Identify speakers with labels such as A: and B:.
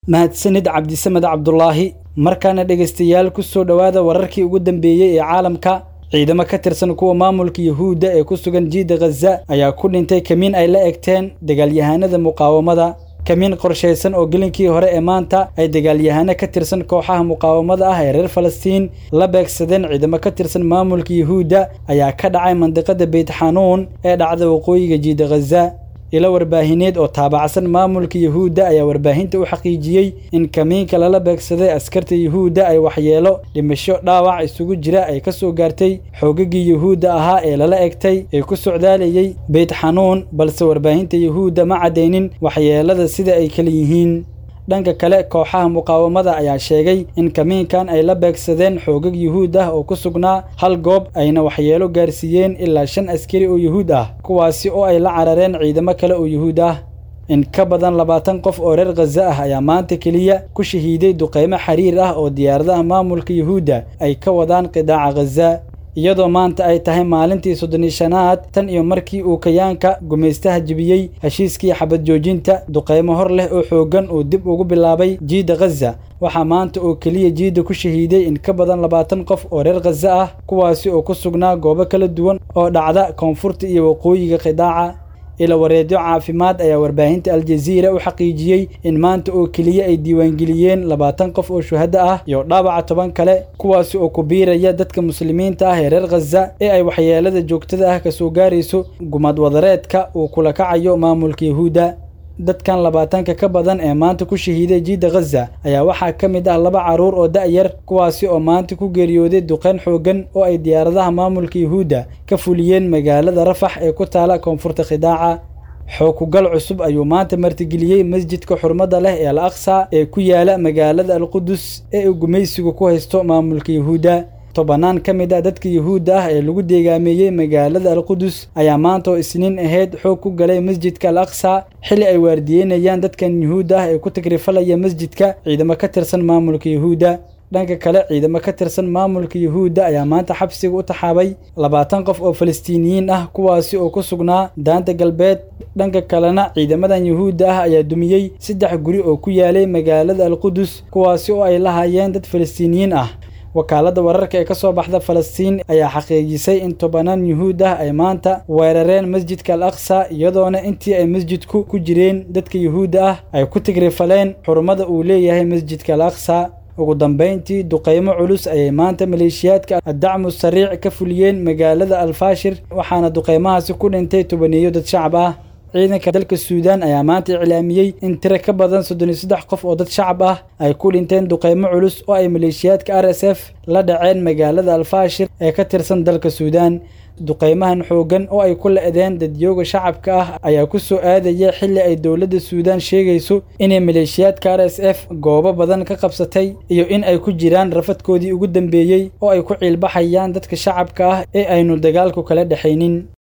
A: Mahadsanid Cabdisamed Cabdulaahi. Markaana dhegaystayaal, ku soo dhowaada wararkii ugu dambeeyey ee caalamka. Ciidamo ka tirsan kuwa maamulka Yuhuudda ee ku sugan jiidda Khaza ayaa ku dhintay kamiin ay la egteen dagaalyahanada muqaawamada. Kamiin qorshaysan oo gelinkii hore ee maanta ay dagaalyahano ka tirsan kooxaha muqaawamada ah ee reer Falastiin la beegsadeen ciidamo ka tirsan maamulka Yuhuudda ayaa ka dhacay mandiqada Beyt Xanuun ee dhacda waqooyiga jiidda Khaza. Ilo warbaahineed oo taabacsan maamulka Yuhuudda ayaa warbaahinta u xaqiijiyey in kamiinka lala beegsaday askarta Yuhuudda ay waxyeelo dhimasho dhaawac isugu jira ay ka soo gaartay xoogagii Yuhuudda ahaa ee lala egtay ee ku socdaalayay Beyt Xanuun, balse warbaahinta Yuhuudda ma caddaynin waxyeelada sida ay kala yihiin. Dhanka kale, kooxaha muqaawamada ayaa sheegay in kamiinkan ay la beegsadeen xoogag Yuhuud ah oo ku sugnaa hal goob, ayna waxyeelo gaarsiiyeen ilaa 5 askari oo Yuhuud ah, kuwaasi oo ay la carareen ciidamo kale oo Yuhuud ah. In ka badan 20 qof oo reer Khaza ah ayaa maanta keliya ku shahiiday duqeymo xiriir ah oo diyaaradaha maamulka Yuhuudda ay ka wadaan qidaaca Khaza, iyadoo maanta ay tahay maalintii 35aad tan iyo markii uu kayaanka gumaystaha jebiyey heshiiskii xabad joojinta. Duqeymo hor leh oo xooggan uu dib ugu bilaabay jiidda Khaza. Waxaa maanta oo keliya jiidda ku shahiiday in ka badan 20 qof oo reer Khaza ah, kuwaasi oo ku sugnaa goobo kala duwan oo dhacda koonfurta iyo waqooyiga qidaaca. Ila wareedyo caafimaad ayaa warbaahinta Aljaziira u xaqiijiyey in maanta oo keliya ay diiwaangeliyeen 20 qof oo shuhada ah iyo dhaawaca 10 kale, kuwaasi oo ku biiraya dadka muslimiinta ah ee reer Khaza ee ay waxyeelada joogtada ah kasoo gaarayso gumad wadareedka uu kula kacayo maamulka Yuhuudda. Dadkan 20-ka ka badan ee maanta ku shahiiday jiidda Khaza ayaa waxaa ka mid ah 2 carruur oo da'yar, kuwaasi oo maanta ku geeriyooday duqeyn xooggan oo ay diyaaradaha maamulka Yuhuudda ka fuliyeen magaalada Rafax ee ku taala koonfurta Khidaaca. Xoog-ku-gal cusub ayuu maanta martigeliyey masjidka xurmada leh ee Al Aqsa ee ku yaala magaalada Al-Qudus ee uu gumaysigu ku haysto maamulka Yuhuudda. Tobanaan ka mid ah dadka Yuhuudda ah ee lagu deegaameeyey magaalada Al-Qudus ayaa maanta oo Isniin ahayd xoog ku galay masjidka Al Aqsa, xilli ay waardiyeynayaan dadkan Yuhuudda ah ee ku tagrifalaya masjidka ciidamo ka tirsan maamulka Yuhuudda. Dhanka kale, ciidamo ka tirsan maamulka Yuhuudda ayaa maanta xabsiga u taxaabay 20 qof oo Falastiiniyiin ah, kuwaasi oo ku sugnaa daanta galbeed. Dhanka kalena, ciidamadan Yuhuudda ah ayaa dumiyey 3 guri oo ku yaalay magaalada Al-Qudus, kuwaasi oo ay lahaayeen dad Falastiiniyiin ah. Wakaaladda wararka ee ka soo baxda Falastiin ayaa xaqiijisay in tobanaan Yuhuud ah ay maanta weerareen masjidka Al Aqsa, iyadoona intii ay masjidku ku jireen dadka Yuhuudda ah ay ku tigrifaleen xurmada uu leeyahay masjidka Al Aqsa. Ugu dambeyntii, duqeymo culus ayay maanta maleeshiyaadka Addacmu Sariic ka fuliyeen magaalada Alfaashir, waxaana duqeymahaasi ku dhintay tobaneeyo dad shacab ah. Ciidanka dalka Suudaan ayaa maanta iclaamiyey in tiro ka badan 33 qof oo dad shacab ah ay ku dhinteen duqeymo culus oo ay maleeshiyaadka RSF la dhaceen magaalada Alfaashir ee ka tirsan dalka Suudaan. Duqeymahan xooggan oo ay ku la'deen dadyooga shacabka ah ayaa ku soo aadaya xilli ay dowladda Suudaan sheegayso inay maleeshiyaadka RSF goobo badan ka qabsatay iyo in ay ku jiraan rafadkoodii ugu dambeeyey oo ay ku ciilbaxayaan dadka shacabka ah ee aynu dagaalku kala dhexaynin.